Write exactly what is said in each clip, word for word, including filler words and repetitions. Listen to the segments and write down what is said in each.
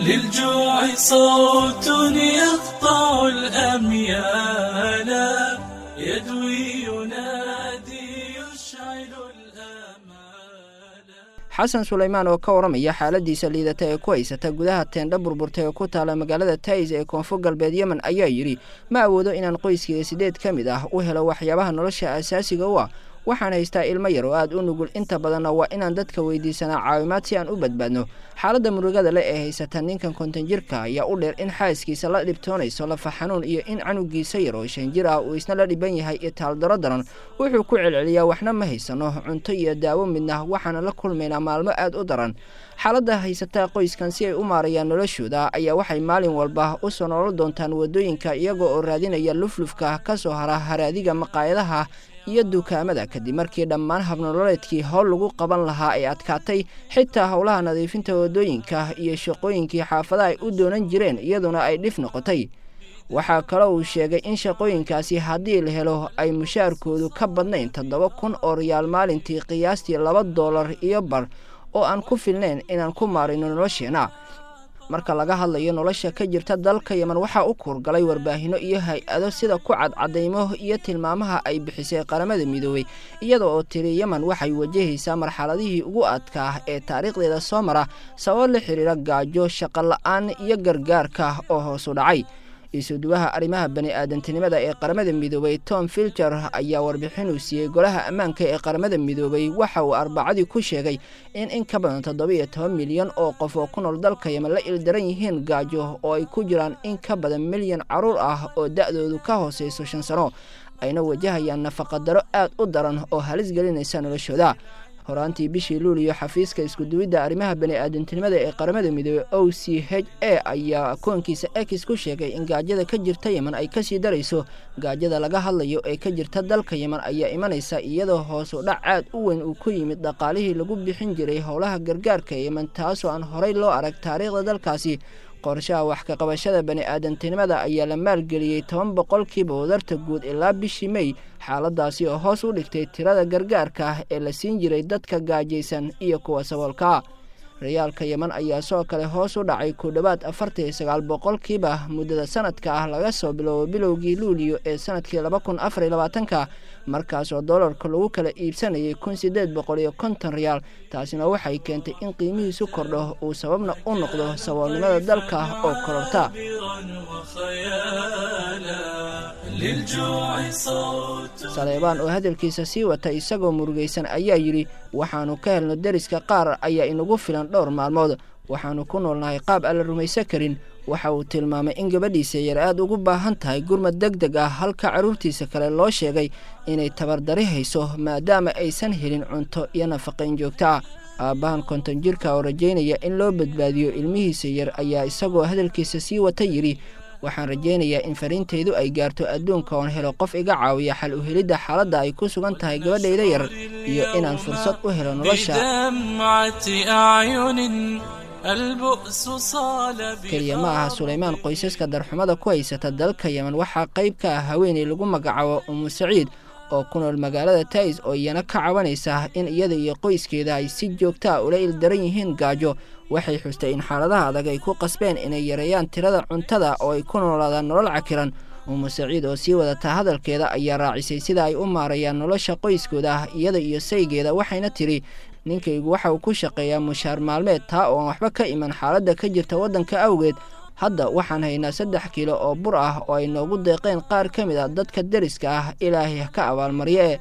للجوع صوت يقطع الأميال، يدوي ينادي يشعل الآمال. Xasan Sulaymaan oo ka waramaya xaaladiisa liidata ee ku haysata gudaha teendha burburtay oo ku taala magaalada Tays ee Koonfur Galbeed Yemen ayaa yidhi: Ma awoodo inaan qoyskayga sideed ka mid ah u helo waxyaabaha nolosha asaasiga u ah. Waxaan haystaa ilmo yar oo aad u nugul, inta badanna waa inaan dadka weydiisanaa caawimaad si aan u badbaadno. Xaaladda murugada leh ee haysata ninkan konton jirka ayaa u dheer in xaaskiisa la dhibtoonayso lafa xanuun iyo in canugiisa yar oo shan jir ah uu isna la dhiban yahay itaaldaro daran. Wuxuu ku celceliyaa: Waxna ma haysano, cunto iyo daawo midna, waxaana la kulmaynaa maalmo aad u daran. Xaaladda haysataa qoyskan si ay u maarayaan noloshooda ayaa waxay maalin walba u soo nolol doontaan waddooyinka, iyaga oo raadinaya luflufka ka soo hara haraadiga maqaayadaha iyo dukaamada, kadib markii dhammaan habnololeedkii howl lagu qaban lahaa ay adkaatay. Xitaa howlaha nadiifinta waddooyinka iyo shaqooyinkii xaafadaha ay u doonan jireen iyaduna ay dhif noqotay. Waxaa kaloo uu sheegay in shaqooyinkaasi haddii la helo ay mushaarkoodu ka badnayn toddoba kun oo riyaal maalintii, qiyaastii laba doolar iyo bar, oo aan ku filnayn inaan ku maarayno nolosheenna. Marka laga hadlayo nolosha ka jirta dalka Yemen, waxaa u kuurgalay warbaahinno iyo hay-ado, sida ku cadcadaymo iyo tilmaamaha ay bixisay Qaramada Midoobey, iyada oo tiri Yemen waxay wajahaysaa marxaladihii ugu adkaa ee taariikhdeeda soo mara, sabab la xiriira gaajo, shaqo la-aan iyo gargaarka oo hoos u dhacay. Isuduwaha arrimaha bani-aadantinimada ee Qaramada Midoobey Tom Filter ayaa warbixin uu siiyey Golaha Ammaanka ee Qaramada Midoobey waxa uu Arbacadii ku sheegay in in ka badan toddoba iyo toban milyan oo qof oo ku nool dalka Yemen la ildaran yihiin gaajo, oo ay ku jiraan in ka badan milyan carruur ah oo da-doodu ka hooseyso shan sano, ayna wajahayaan nafaqadaro aad u daran oo halis gelinaysa noloshooda. Horaantii bishii Luuliyo, xafiiska iskuduwidda arrimaha bani-aadantinimada ee Qaramada Midoobey O C H A ayaa akoonkiisa X ku sheegay in gaajada ka jirta Yemen ay kasii darayso. Gaajada laga hadlayo ee ka jirta dalka Yemen ayaa imanaysa iyadoo hoos u dhac aad u weyn uu ku yimid dhaqaalihii lagu bixin jiray howlaha gargaarka Yemen, taasoo aan horey loo arag taariikhda dalkaasi. Qorshaha wax ka qabashada bani-aadantinimada ayaa la maalgeliyey toban boqolkiiba wadarta guud ilaa bishii Mey, xaaladaasi oo hoos u dhigtay tirada gargaarka ah ee la siin jiray dadka gaajaysan iyo kuwa saboolkaa. Riyaalka Yemen ayaa sidoo kale hoos u dhacay ku dhowaad afartan iyo sagaal boqolkiiba muddada sanadka ah, laga soo bilowbo bilowgii Luuliyo ee sanadkii laba kun afar iyo labaatanka, markaasoo doolarka lagu kala iibsanayay kun sideed boqol iyo konton riyaal. Taasina waxay keentay in qiimihiisu kordho, uu sababna u noqdo saboolnimada dalka oo kororta. وخيالا للجوع صوت. Saleebaan oo hadalkiisa sii wata isagoo murugaysan ayaa yidhi: Waxaannu ka helno deriska qaar ayaa inagu filan dhowr maalmood. Waxaannu ku noolnahay qaab aan la rumaysan karin. Waxa uu tilmaamay in gabadhiisa yar aad ugu baahan tahay gurmad deg deg ah, halka carruurtiisa kale loo sheegay inay tabardari hayso maadaama aysan helin cunto iyo nafaqayn joogto ah. Aabbahan konton jirka oo rajaynaya in loo badbaadiyo ilmihiisa yar ayaa isagoo hadalkiisa sii wata yidhi: Waxaan rajaynayaa in fariintaydu ay gaarto adduunka, oon helo qof iga caawiya xal u helidda xaaladda ay ku sugan tahay gabadhayda yar iyo inaan fursad u helo nolosha. بدمعة أعين البؤس صال. Keliya ma aha Sulaymaan qoysaska darxumada ku haysata dalka Yemen. Waxaa qayb ka ah haweeney lagu magacaabo Umu Saciid oo ku nool magaalada Tais, oo iyana ka cabanaysa in iyada iyo qoyskeeda ay si joogta ah ula ildaran yihiin gaajo. Waxay xustay in xaaladaha adag ay ku qasbeen inay yareeyaan tirada cuntada oo ay ku noolaadaan nolol cakiran. Umu Saciid oo sii wadata hadalkeeda ayaa raacisay sida ay u maarayaan nolosha qoyskooda ah, iyada iyo saygeeda, waxayna tidhi: Ninkaygu waxa uu ku shaqeeyaa mushaar maalmeed, taa oo aan waxba ka iman xaaladda ka jirta waddanka awgeed. Hadda waxaan haynaa saddex kiilo oo bur ah oo ay noogu deeqeen qaar ka mid ah dadka deriska ah, Ilaahay ha ka abaalmarye.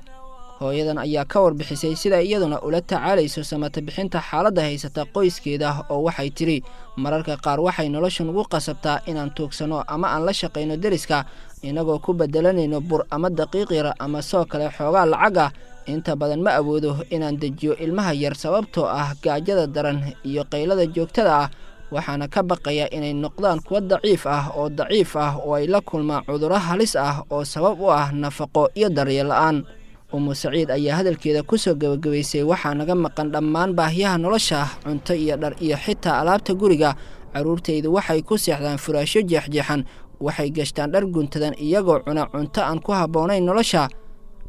Hooyadan ayaa ka warbixisay sida iyaduna ula tacaalayso samata bixinta xaaladda haysata qoyskeeda, oo waxay tidhi: Mararka qaar waxay nolosha nugu qasabtaa inaan tuugsanno ama aan la shaqayno deriska, inagoo ku bedelanayno bur ama daqiiq yar ama soo kale xoogaa lacag ah. Inta badan ma awoodo inaan dejiyo ilmaha yar sababtoo ah gaajada daran iyo qaylada joogtada ah, waxaana ka baqaya inay noqdaan kuwo daciif ah oo daciif ah oo ay la kulmaan cudurro halis ah oo sabab u ah nafaqo iyo daryeel la-aan. Umu Saciid ayaa hadalkeeda kusoo gebagabaysay: Waxaa naga maqan dhammaan baahiyaha nolosha, cunto iyo dhar iyo xitaa alaabta guriga. Carruurtaydu waxay ku seexdaan furaashyo jeexjeexan, waxay gashtaan dhar guntadan, iyagoo cuna cunto aan ku habboonayn nolosha.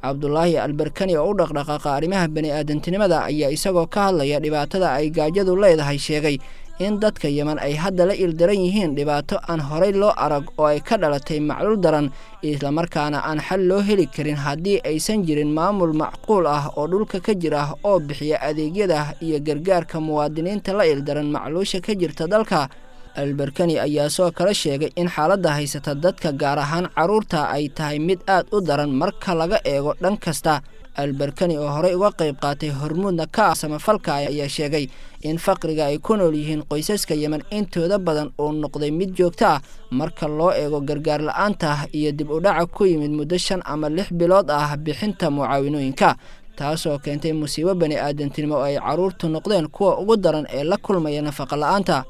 Cabdulaahi Albarkani oo u dhaqdhaqaaqa arrimaha bani-aadantinimada ayaa isagoo ka hadlaya dhibaatada ay gaajadu leedahay sheegay in dadka Yemen ay hadda la ildaran yihiin dhibaato aan horay loo arag oo ay ka dhalatay macluul daran, islamarkaana aan xal loo heli karin haddii aysan jirin maamul macquul ah oo dhulka ka jira oo bixiya adeegyada iyo gargaarka muwaadiniinta la ildaran macluusha ka jirta dalka. Albarkani ayaa soo kale sheegay in xaaladda haysata dadka, gaar ahaan carruurta, ay tahay mid aad u daran marka laga eego dhan kasta. Albarkani oo horey uga qayb qaatay hormuudna ka ah samafalka ayaa sheegay in faqriga ay ku nool yihiin qoysaska Yemen intooda badan uu noqday mid joogto ah marka loo eego gargaar la-aanta iyo dib u dhaca ku yimid muddo shan ama lix bilood ah bixinta mucaawinooyinka, taasoo keentay musiibo bani aadantinimo oo ay carruurtu noqdeen kuwa ugu daran ee la kulmaya nafaqa la-aanta.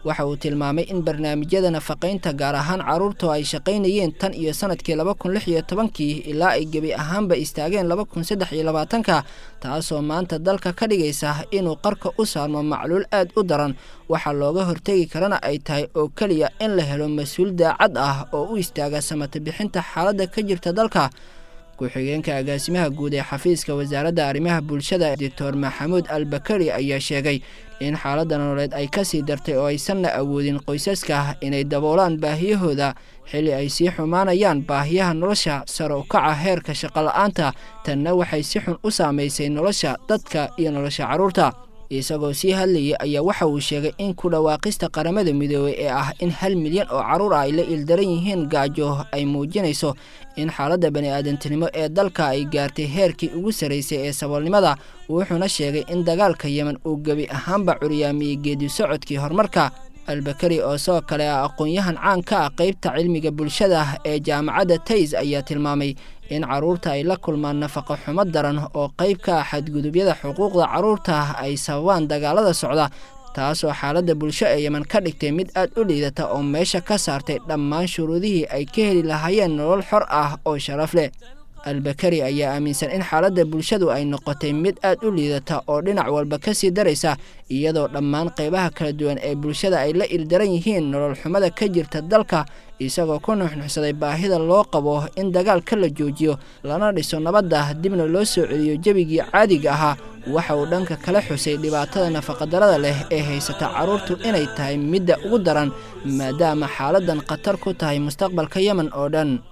Waxa uu tilmaamay in barnaamijyada nafaqaynta, gaar ahaan carruurtu, ay shaqaynayeen tan iyo sanadkii laba kun lix iyo tobankii ilaa ay gebi ahaanba istaageen laba kun saddex iyo labaatanka, taasoo maanta dalka ka dhigaysa inuu qarka u saarmo macluul aad u daran. Waxaa looga hortegi karana ay tahay oo keliya in la helo mas-uul daacad ah oo u istaaga samata bixinta xaaladda ka jirta dalka. Ku-xigeenka agaasimaha guud ee xafiiska wasaaradda arrimaha bulshada, Doctor Maxamuud Albakari, ayaa sheegay in xaaladda nololeed ay kasii dartay oo aysanna awoodin qoysaska inay daboolaan baahiyahooda xilli ay sii xumaanayaan baahiyaha nolosha, sare u kaca heerka shaqo la-aanta, tanna waxay si xun u saamaysay nolosha dadka iyo nolosha carruurta. Isagoo sii hadlayay ayaa waxa uu sheegay in ku dhawaaqista Qaramada Midoobey ee ah in hal milyan oo carruur ah ay la ildaran yihiin gaajo ay muujinayso in xaaladda bani aadantinimo ee dalka ay gaartay heerkii ugu sarraysay ee saboolnimada. Wuxuuna sheegay in dagaalka Yemen uu gebi ahaanba curyaamiyey geedi socodkii horumarka. Albakari oo sidoo kale ah aqoon-yahan caan ka ah qeybta cilmiga bulshada ee jaamacadda Tays ayaa tilmaamay in carruurta ay la kulmaan nafaqo xumo daran oo qayb ka ah xadgudubyada xuquuqda carruurta ay sababaan dagaalada socda, taasoo xaaladda bulsho ee Yemen ka dhigtay mid aad u liidata oo meesha ka saartay dhammaan shuruudihii ay ka heli lahaayeen nolol xor ah oo sharaf leh. Albakari ayaa aaminsan in xaaladda bulshadu ay noqotay mid aad u liidata oo dhinac walba ka sii daraysa, iyadoo dhammaan qaybaha kala duwan ee bulshada ay la ildaran yihiin nolol xumada ka jirta dalka, isagoo ku nuxnuxsaday baahida loo qabo in dagaalka la joojiyo, lana dhiso nabadda, dibna loo soo celiyo jebigii caadiga ahaa. Waxa uu dhanka kala xusay dhibaatada nafaqadarada leh ee haysata carruurtu inay tahay midda ugu daran, maadaama xaaladdan khatar ku tahay mustaqbalka Yemen oo dhan.